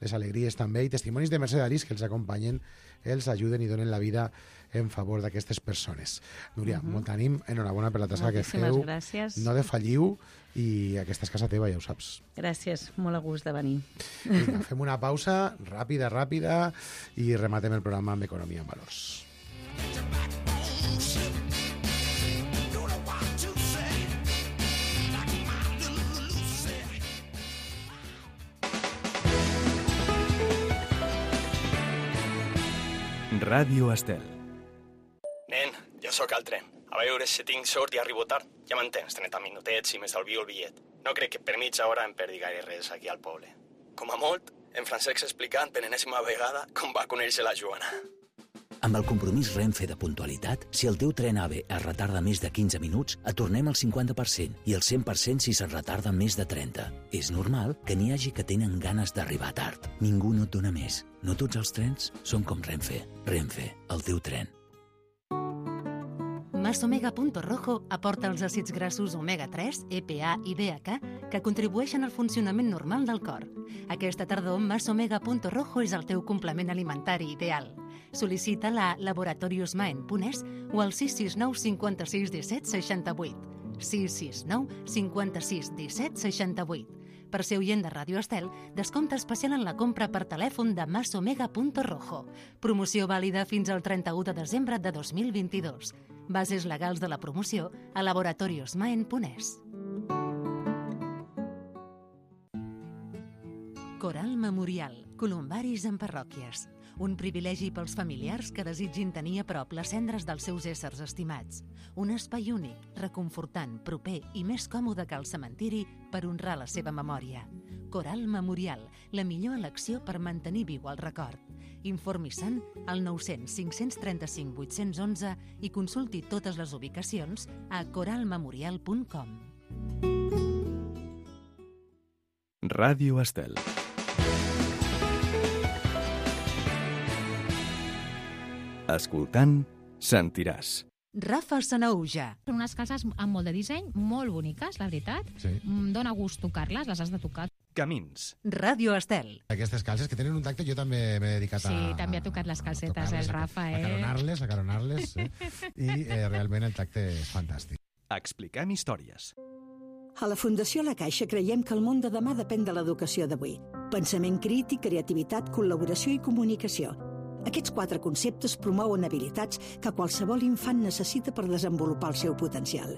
les alegries també, i testimonis de mercedaris que els acompanyen, els ajuden i donen la vida en favor d'aquestes persones. Núria, uh -huh. molt ànim, enhorabona per la tasca que feu. Gràcies. No defalliu i aquesta és casa teva, ja ho saps. Gràcies, molt a gust de venir. Vinga, fem una pausa ràpida, ràpida i rematem el programa amb Economia en Valors. Ràdio Estel. Nen, jo sóc al tren. A veure si tinc sort i arribo tard. Ja m'entens, trenta minutets i m'estalvio el bitllet. No crec que per mitja hora em perdi gaire res aquí al poble. Com a molt, en Francesc explicant per enèsima vegada com va conèixer la Joana. Amb el compromís Renfe de puntualitat, si el teu tren AVE es retarda més de quinze minuts, et tornem el cinquanta per cent i el cent per cent si se'n retarda més de trenta. És normal que n'hi hagi que tenen ganes d'arribar tard. Ningú no et dona més. No tots els trens són com Renfe. Renfe, el teu tren. Masomega Punto Rojo aporta els àcids grassos omega tres, E P A i D H A que contribueixen al funcionament normal del cor. Aquesta tardor, Masomega Punto Rojo és el teu complement alimentari ideal. Sol·licita-la a laboratorios maen punt es o al sis sis nou cinquanta-sis disset seixanta-vuit. sis sis nou cinquanta-sis disset seixanta-vuit. Per ser oient de Ràdio Estel, descompte especial en la compra per telèfon de Masomega Punto Rojo. Promoció vàlida fins al trenta-u de desembre de dos mil vint-i-dos. Bases legals de la promoció a laboratorios maen punt es. Coral Memorial, columbaris en parròquies. Un privilegi pels familiars que desitgin tenir a prop les cendres dels seus éssers estimats. Un espai únic, reconfortant, proper i més còmode que el cementiri per honrar la seva memòria. Coral Memorial, la millor elecció per mantenir viu el record. Informi-se'n al nou cents cinc cents trenta-cinc vuit cents onze i consulti totes les ubicacions a coral memorial punt com. Ràdio Estel. Escoltant, sentiràs. Rafa Sanauja. Són unes calces amb molt de disseny, molt boniques, la veritat. Sí. Dóna gust tocar-les, les has de tocar. Camins. Ràdio Estel. Aquestes calces que tenen un tacte, jo també m'he dedicat a... Sí, també ha tocat les calcetes, el Rafa, eh? A caronar-les, a caronar-les, eh? I eh, realment el tacte és fantàstic. Expliquem històries. A la Fundació La Caixa creiem que el món de demà depèn de l'educació d'avui. Pensament crític, creativitat, col·laboració i comunicació. Aquests quatre conceptes promouen habilitats que qualsevol infant necessita per desenvolupar el seu potencial.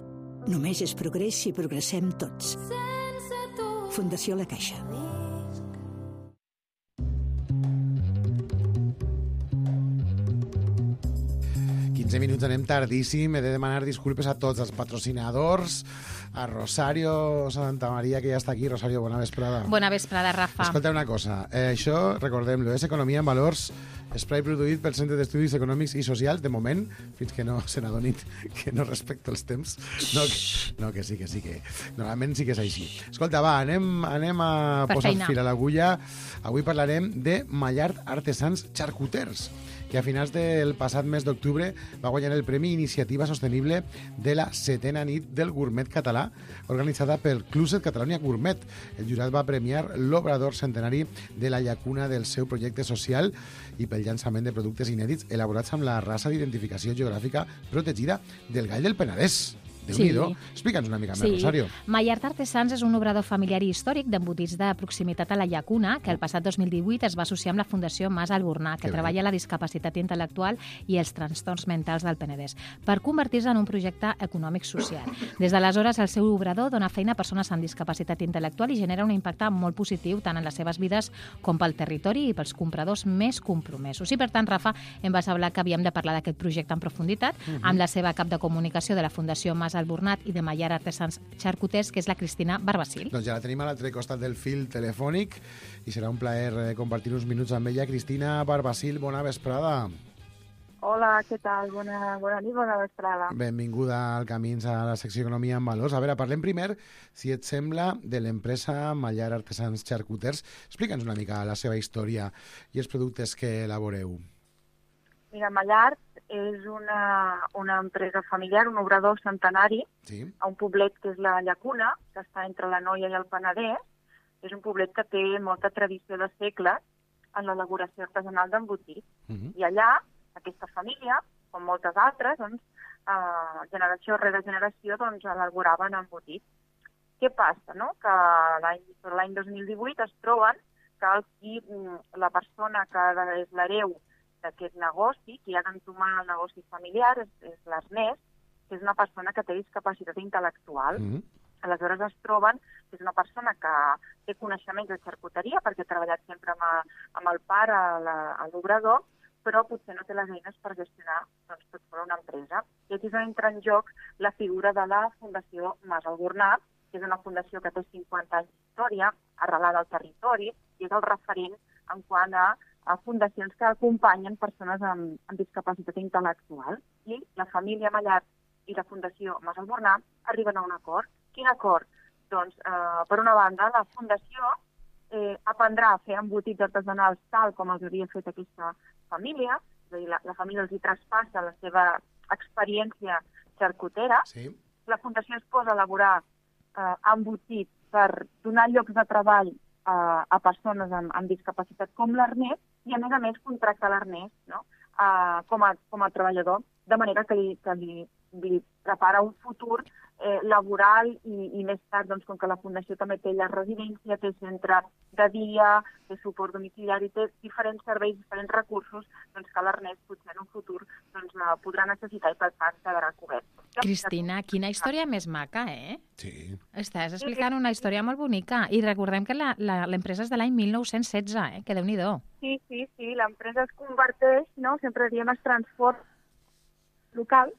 Només és progrés si progressem tots. Fundació La Caixa. quinze minuts, anem tardíssim. He de demanar disculpes a tots els patrocinadors, a Rosario Santa Maria, que ja està aquí. Rosario, bona vesprada. Bona vesprada, Rafa. Escolta una cosa, eh, això, recordem-lo, és Economia en Valors, espai produït pel Centre d'Estudis Econòmics i Socials, de moment, fins que no se n'adonin que no respecto els temps. No que, no, que sí, que sí, que normalment sí que és així. Escolta, va, anem, anem a Per posar feina. fil a l'agulla. Avui parlarem de Mallard Artesans Charcuters, que a finals del passat mes d'octubre va guanyar el Premi Iniciativa Sostenible de la setena nit del gourmet català, organitzada pel Cluset Catalonia Gourmet. El jurat va premiar l'obrador centenari de la llacuna del seu projecte social i pel llançament de productes inèdits elaborats amb la raça d'identificació geogràfica protegida del Gall del Penedès. Déu-n'hi-do. Sí. Explica'ns una mica Sí. més, Rosario. Mallard Artesans és un obrador familiar i històric d'embotits de proximitat a la llacuna que el passat dos mil divuit es va associar amb la Fundació Mas Albornà, que Que bé. treballa la discapacitat intel·lectual i els trastorns mentals del Penedès, per convertir-se en un projecte econòmic social. Des d'aleshores, el seu obrador dona feina a persones amb discapacitat intel·lectual i genera un impacte molt positiu tant en les seves vides com pel territori i pels compradors més compromesos. I, per tant, Rafa, em vas hablar que havíem de parlar d'aquest projecte en profunditat Mhm. amb la seva cap de comunicació de la Fundació Mas d'Albornat i de Mallar Artesans Xarcuters, que és la Cristina Barbacil. Doncs ja la tenim a l'altre costat del fil telefònic i serà un plaer compartir uns minuts amb ella. Cristina Barbacil, bona vesprada. Hola, què tal? Bona, bona nit, bona vesprada. Benvinguda al Camins a la secció Economia en Valors. A veure, parlem primer, si et sembla, de l'empresa Mallar Artesans Xarcuters. Explica'ns una mica la seva història i els productes que elaboreu. Mira, Mallar és una, una empresa familiar, un obrador centenari, sí. a un poblet que és la Llacuna, que està entre l'Anoia i el Penedès. És un poblet que té molta tradició de segles en l'elaboració artesanal d'embotits. Uh-huh. I allà, aquesta família, com moltes altres, doncs, eh, generació rere generació, doncs, elaboraven embotits. Què passa, no? Que l'any dos mil divuit es troben que el qui, la persona que és l'hereu d'aquest negoci, qui ha d'entomar el negoci familiar, és, és l'Ernest, que és una persona que té discapacitat intel·lectual. Mm-hmm. Aleshores es troben que és una persona que té coneixements de xarcuteria, perquè ha treballat sempre amb, a, amb el pare a l'obrador, però potser no té les eines per gestionar doncs, tot fora una empresa. I aquí és on entra en joc la figura de la Fundació Mas Albornat, que és una fundació que té cinquanta anys d'història, arrelada al territori, i és el referent en quant a, a fundacions que acompanyen persones amb, amb discapacitat intel·lectual. I la família Mallar i la Fundació Mas Albornat arriben a un acord. Quin acord? Doncs, eh, per una banda, la fundació eh, aprendrà a fer embotits artesanals tal com els havia fet aquesta família, és a dir, la, la família els hi traspassa la seva experiència xarcutera. Sí. La fundació es posa a elaborar eh, embotits per donar llocs de treball eh, a persones amb, amb discapacitat com l'Ernest, i a més a més contracta l'Ernest, no? eh, com, a, com a treballador, de manera que li, que li, li prepara un futur eh, laboral i, i més tard, doncs, com que la Fundació també té la residència, té centre de dia, té suport domiciliari, té diferents serveis, diferents recursos, doncs que l'Ernest potser en un futur doncs, eh, podrà necessitar i per tant quedarà cobert. Cristina, quina història més maca, eh? Sí. Estàs explicant una història molt bonica i recordem que l'empresa és de l'any mil nou-cents setze, eh? Que déu-n'hi-do. Sí, sí, sí, l'empresa es converteix, no? Sempre diem es transforma local,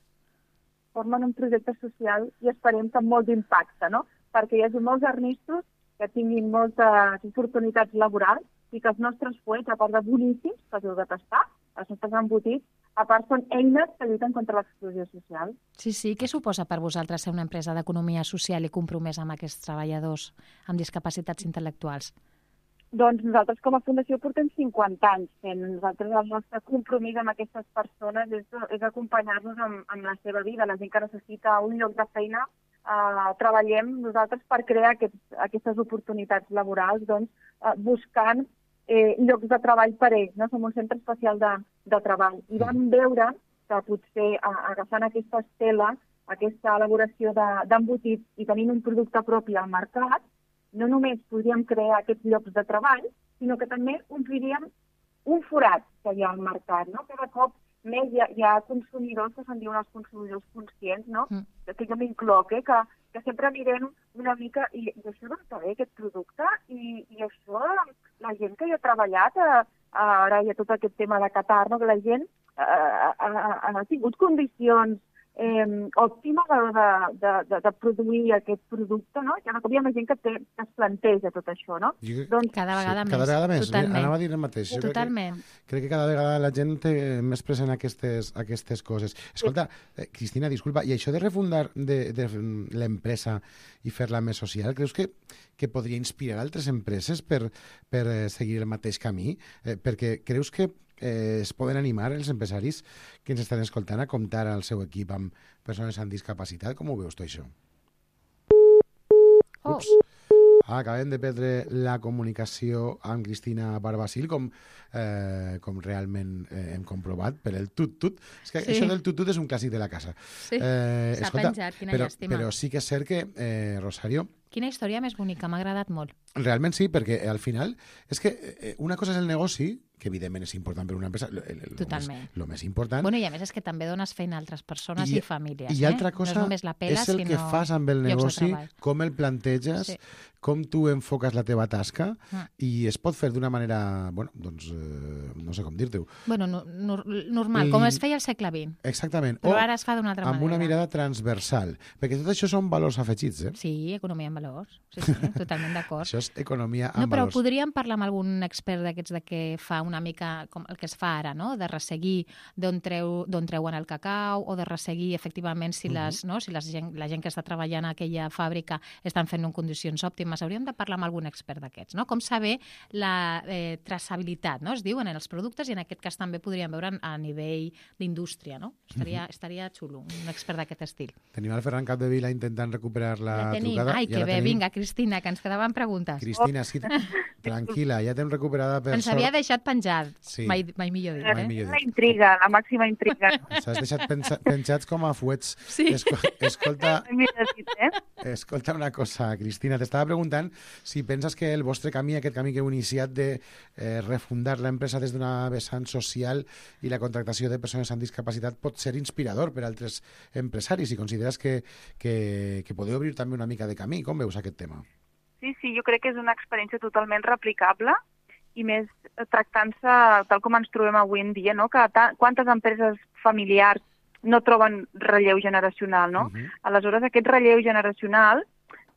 formen un projecte social i esperem que amb molt d'impacte, no? Perquè hi hagi molts arnistos que tinguin moltes oportunitats laborals i que els nostres fuets, a part de boníssims, que els heu de tastar, els nostres embotits, a part són eines que lluiten contra l'exclusió social. Sí, sí. Què suposa per vosaltres ser una empresa d'economia social i compromesa amb aquests treballadors amb discapacitats intel·lectuals? Doncs nosaltres com a Fundació portem cinquanta anys fent. Nosaltres el nostre compromís amb aquestes persones és, és acompanyar-nos amb, amb la seva vida. La gent que necessita un lloc de feina, eh, treballem nosaltres per crear aquests, aquestes oportunitats laborals, doncs, eh, buscant eh, llocs de treball per ells. No? Som un centre especial de, de treball. I vam veure que potser eh, agafant aquesta estela, aquesta elaboració d'embotits de, i tenint un producte propi al mercat, no només podríem crear aquests llocs de treball, sinó que també ompliríem un forat que hi ha al mercat. No? Cada cop més hi ha, hi ha consumidors que se'n diuen els consumidors conscients, no? Mm. que jo m'incloc, eh? que, que sempre mirem una mica, i, i això d'on ve aquest producte, i, i això, la gent que hi ha treballat, eh, ara hi ha tot aquest tema de Qatar, no? que la gent eh, ha, ha tingut condicions Eh, òptima de, de, de, de produir aquest producte, no? Ja hi ha més gent que, té, que es planteja tot això, no? Jo, doncs, cada vegada sí, més. Cada vegada més. Totalment. Anava a dir el mateix. Jo Totalment. Crec que, crec que cada vegada la gent té més present aquestes, aquestes coses. Escolta, eh, Cristina, disculpa, i això de refundar de, de l'empresa i fer-la més social, creus que, que podria inspirar altres empreses per, per eh, seguir el mateix camí? Eh, perquè creus que Eh, es poden animar els empresaris que ens estan escoltant a comptar al seu equip amb persones amb discapacitat? Com ho veus tu, això? Oh. Ups. Ah, acabem de perdre la comunicació amb Cristina Barbacil, com, eh, com realment eh, hem comprovat per el tut-tut. És que sí. Això del tut-tut és un clàssic de la casa. Sí, s'ha penjat, quina però, llàstima. Però sí que és cert que, eh, Rosario... Quina història més bonica, m'ha agradat molt. Realment sí, perquè al final és que una cosa és el negoci, que evidentment és important per una empresa, el, el, el, Totalment. Més, el més important. Bueno, i a més és que també dones feina a altres persones i, i famílies. I altra eh? cosa no és només la pela, és el que fas amb el negoci, com el planteges, sí. com tu enfoques la teva tasca, ah. i es pot fer d'una manera, bueno, doncs, eh, no sé com dir-te-ho. Bueno, no, no, normal, com es feia al segle vint. Exactament. Però o ara es fa d'una altra amb manera. Amb una mirada transversal. Perquè tot això són valors afegits, eh? Sí, economia en valors. Sí, sí, totalment d'acord. Això és economia en no, però valors. Podríem parlar amb algun expert d'aquests de que fa una mica com el que es fa ara, no? De resseguir d'on treu, d'on treuen el cacau o de resseguir efectivament si, les, uh -huh. no? si les gent, la gent que està treballant a aquella fàbrica estan fent en condicions òptimes. Hauríem de parlar amb algun expert d'aquests, no? Com saber la eh, traçabilitat, no? Es diuen en els productes i en aquest cas també podríem veure a nivell d'indústria, no? Estaria, uh -huh. estaria xulo, un expert d'aquest estil. Tenim el Ferran Capdevila intentant recuperar la ja tenim. trucada. Ai, que ja bé, tenim. vinga, Cristina, que ens quedaven preguntes. Cristina, sí, tranquil·la, ja t'hem recuperada per ens sort. havia deixat penjat, sí. mai, mai millor dit. Mai Eh? millor dit. La intriga, la màxima intriga. S'has deixat pensa, penjats com a fuets. Sí. Esco, escolta, dit, eh? escolta una cosa, Cristina, t'estava preguntant si penses que el vostre camí, aquest camí que heu iniciat de eh, refundar l'empresa des d'una vessant social i la contractació de persones amb discapacitat pot ser inspirador per a altres empresaris, i consideres que, que, que podeu obrir també una mica de camí. Com veus aquest tema? Sí, sí, jo crec que és una experiència totalment replicable i més tractant-se tal com ens trobem avui en dia, no? Que quantes empreses familiars no troben relleu generacional, no? Uh-huh. Aleshores, aquest relleu generacional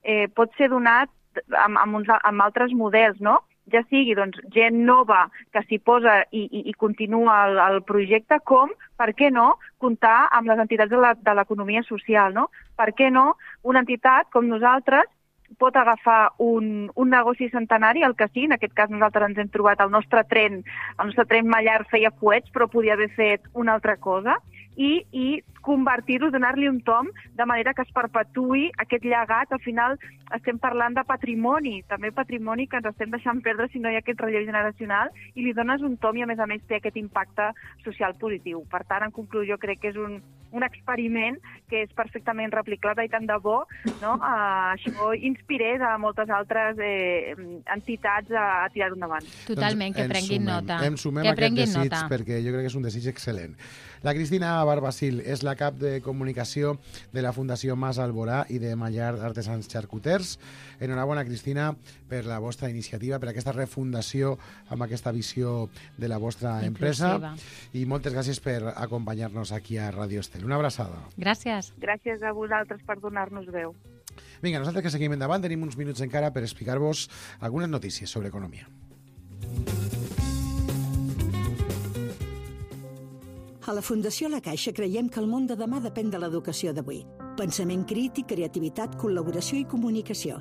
eh, pot ser donat amb, amb, uns, amb altres models, no? Ja sigui doncs, gent nova que s'hi posa i, i, i continua el, el projecte, com, per què no, comptar amb les entitats de l'economia social, no? Per què no una entitat com nosaltres pot agafar un, un negoci centenari, el que sigui, en aquest cas nosaltres ens hem trobat el nostre tren, el nostre tren Mallar feia fuets, però podia haver fet una altra cosa, i, i convertir-ho, donar-li un tom, de manera que es perpetuï aquest llegat. Al final estem parlant de patrimoni, també patrimoni que ens estem deixant perdre si no hi ha aquest relleu generacional, i li dones un tom i a més a més té aquest impacte social positiu. Per tant, en conclusió, crec que és un, un experiment que és perfectament replicable i tant de bo, no? Uh, això inspirés a moltes altres eh, entitats a, a tirar-ho endavant. Totalment, que prenguin nota. Em sumem que a aquest desig nota. perquè jo crec que és un desig excel·lent. La Cristina Barbacil és la cap de comunicació de la Fundació Mas Alborà i de Mallar Artesans Xarcuters. Enhorabona, Cristina, per la vostra iniciativa, per aquesta refundació amb aquesta visió de la vostra empresa. I moltes gràcies per acompanyar-nos aquí a Ràdio Estel. Una abraçada. Gràcies. Gràcies a vosaltres per donar-nos veu. Vinga, nosaltres que seguim endavant, tenim uns minuts encara per explicar-vos algunes notícies sobre economia. A la Fundació La Caixa creiem que el món de demà depèn de l'educació d'avui. Pensament crític, creativitat, col·laboració i comunicació.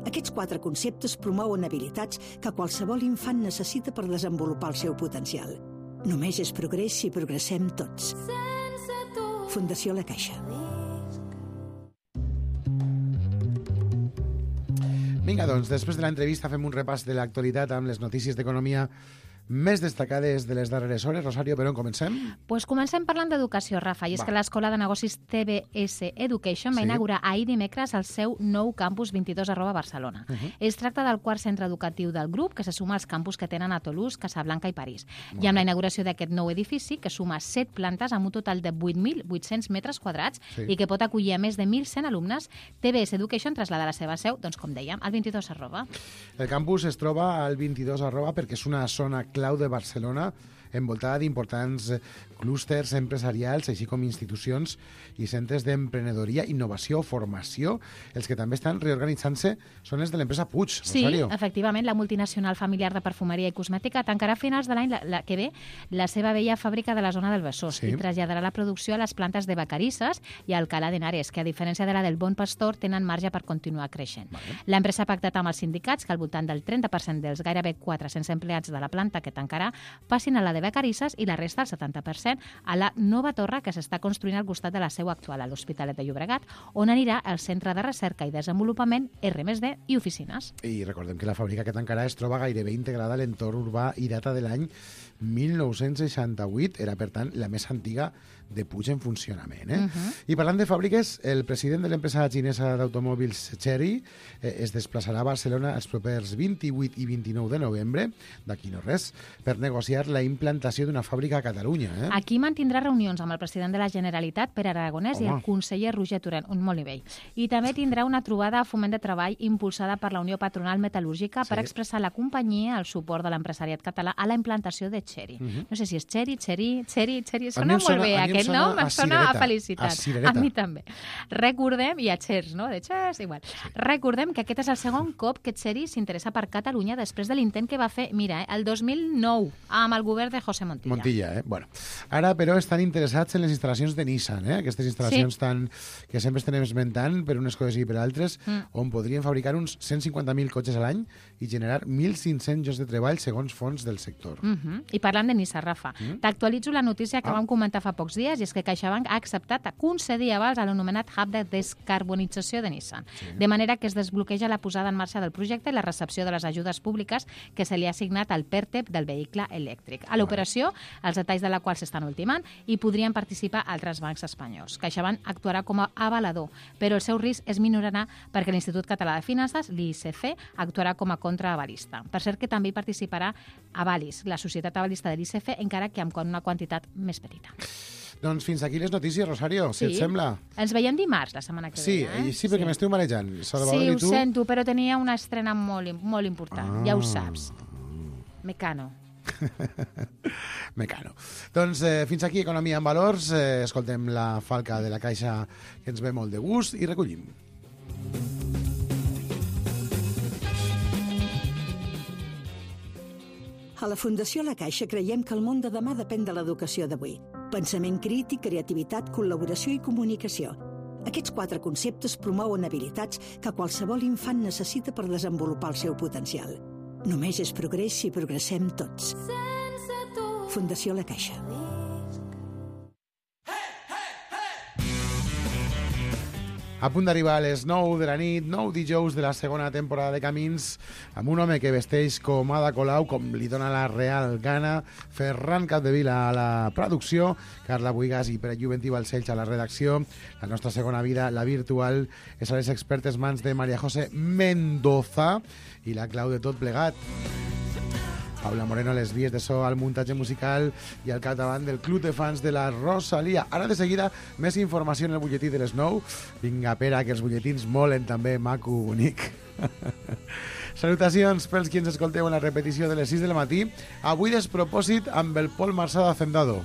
Aquests quatre conceptes promouen habilitats que qualsevol infant necessita per desenvolupar el seu potencial. Només és progrés si progressem tots. Fundació La Caixa. Vinga, doncs, després de l'entrevista fem un repàs de l'actualitat amb les notícies d'economia més destacades de les darreres hores. Rosario, per on comencem? Pues comencem parlant d'educació, Rafa, i és Va. que l'Escola de Negocis T B S Education va Sí. inaugurar ahir dimecres el seu nou campus vint-i-dos arroba Barcelona. Uh -huh. Es tracta del quart centre educatiu del grup, que se suma als campus que tenen a Toulouse, Casablanca i París. Molt I amb bé. la inauguració d'aquest nou edifici, que suma set plantes amb un total de vuit mil vuit-cents metres quadrats Sí. i que pot acollir a més de mil cent alumnes, T B S Education traslada la seva seu, doncs com dèiem, al vint-i-dos arroba. El campus es troba al vint-i-dos arroba perquè és una zona clau de Barcelona envoltada d'importants clústers empresarials, així com institucions i centres d'emprenedoria, innovació, formació. Els que també estan reorganitzant-se són els de l'empresa Puig, Sí, Rosario. efectivament, la multinacional familiar de perfumeria i cosmètica tancarà a finals de l'any la, la, que ve la seva vella fàbrica de la zona del Besòs Sí. i traslladarà la producció a les plantes de Vacarisses i a Alcalá de Henares, que a diferència de la del Bon Pastor tenen marge per continuar creixent. Vale. L'empresa ha pactat amb els sindicats que al voltant del trenta per cent dels gairebé quatre-cents empleats de la planta que tancarà passin a la de Vacarisses i la resta, el setanta per cent, a la nova torre que s'està construint al costat de la seu actual, a l'Hospitalet de Llobregat, on anirà el Centre de Recerca i Desenvolupament, erre més de i oficines. I recordem que la fàbrica que tancarà es troba gairebé integrada a l'entorn urbà i data de l'any mil nou-cents seixanta-vuit, era, per tant, la més antiga de Puig en funcionament. Eh? Uh-huh. I parlant de fàbriques, el president de l'empresa xinesa d'automòbils Chery eh, es desplaçarà a Barcelona els propers vint-i-vuit i vint-i-nou de novembre, d'aquí no res, per negociar la implantació d'una fàbrica a Catalunya. Eh? Aquí mantindrà reunions amb el president de la Generalitat, Pere Aragonès, Home. i el conseller Roger Torrent, un molt nivell. I també tindrà una trobada a Foment de Treball impulsada per la Unió Patronal Metal·lúrgica sí. per expressar la companyia el suport de l'empresariat català a la implantació de Chery. Uh-huh. No sé si és Chery, Chery, Chery, Chery, sona molt sona, bé aquest nom, em sona a felicitat. A, a mi també. Recordem, i a Chers, no? De Chers, igual. Sí. Recordem que aquest és el segon cop que Chery s'interessa per Catalunya després de l'intent que va fer, mira, eh, el dos mil nou, amb el govern de José Montilla. Montilla, eh? Bueno, ara, però, estan interessats en les instal·lacions de Nissan, eh? Aquestes instal·lacions sí. tan, que sempre estem esmentant per unes coses i per altres, mm. on podrien fabricar uns cent cinquanta mil cotxes a l'any i generar mil cinc-cents llocs de treball segons fons del sector. Mm-hmm. I parlant de Nissan, Rafa, mm? t'actualitzo la notícia que ah. vam comentar fa pocs dies, i és que CaixaBank ha acceptat a concedir avals a l'anomenat Hub de Descarbonització de Nissan, sí. de manera que es desbloqueja la posada en marxa del projecte i la recepció de les ajudes públiques que se li ha assignat al PERTEP del vehicle elèctric. A l'operació, els detalls de la qual s'estan ultimant, i podrien participar altres bancs espanyols. CaixaBank actuarà com a avalador, però el seu risc es minorarà perquè l'Institut Català de Finances, l'I C F, actuarà com a contraavalista. Per cert que també hi participarà Avalis, la societat avalista de l'I C F, encara que amb una quantitat més petita. Doncs fins aquí les notícies, Rosario, sí. si et sembla. Ens veiem dimarts, la setmana que sí, ve. Eh? Sí, perquè sí. m'esteu marejant. Sí, ho tu... sento, però tenia una estrena molt, molt important, ah. ja ho saps. Mecano. Mecano. Doncs eh, fins aquí Economia en Valors. Eh, escoltem la falca de la Caixa, que ens ve molt de gust, i recollim. A la Fundació La Caixa creiem que el món de demà depèn de l'educació d'avui. Pensament crític, creativitat, col·laboració i comunicació. Aquests quatre conceptes promouen habilitats que qualsevol infant necessita per desenvolupar el seu potencial. Només és progrés si progressem tots. Fundació La Caixa. A punt d'arribar a les nou de la nit, nou dijous de la segona temporada de Camins, amb un home que vesteix com Ada Colau, com li dona la real gana, Ferran Capdevila a la producció, Carla Buigas i Pere Juventí Balcells a la redacció. La nostra segona vida, la virtual, és a les expertes mans de María José Mendoza, i la clau de tot plegat, Paula Moreno a les vies de so, al muntatge musical i al capdavant del club de fans de la Rosalia. Ara de seguida, més informació en el butlletí de les nou. Vinga, Pere, que els butlletins molen també, maco, bonic. Salutacions pels qui ens escolteu en la repetició de les sis del matí. Avui despropòsit amb el Pol Marsà d'Hacendado.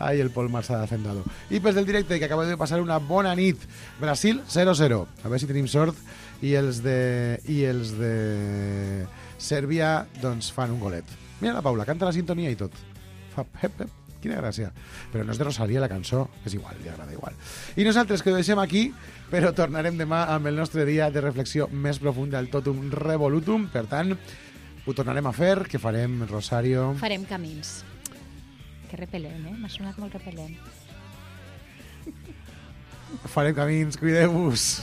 Ai, el Pol Marsà d'Hacendado. I pels del directe, que acabeu de passar una bona nit. Brasil zero zero. A veure si tenim sort. I els de... I els de... Sèrbia, doncs, fan un golet. Mira la Paula, canta la sintonia i tot. Fa hep, hep, quina gràcia. Però no és de Rosalia la cançó, és igual, li agrada igual. I nosaltres que ho deixem aquí, però tornarem demà amb el nostre dia de reflexió més profunda, el totum revolutum. Per tant, ho tornarem a fer, que farem, Rosario... Farem camins. Que repel·lent, eh? M'ha sonat molt repel·lent. Farem camins, cuideu-vos.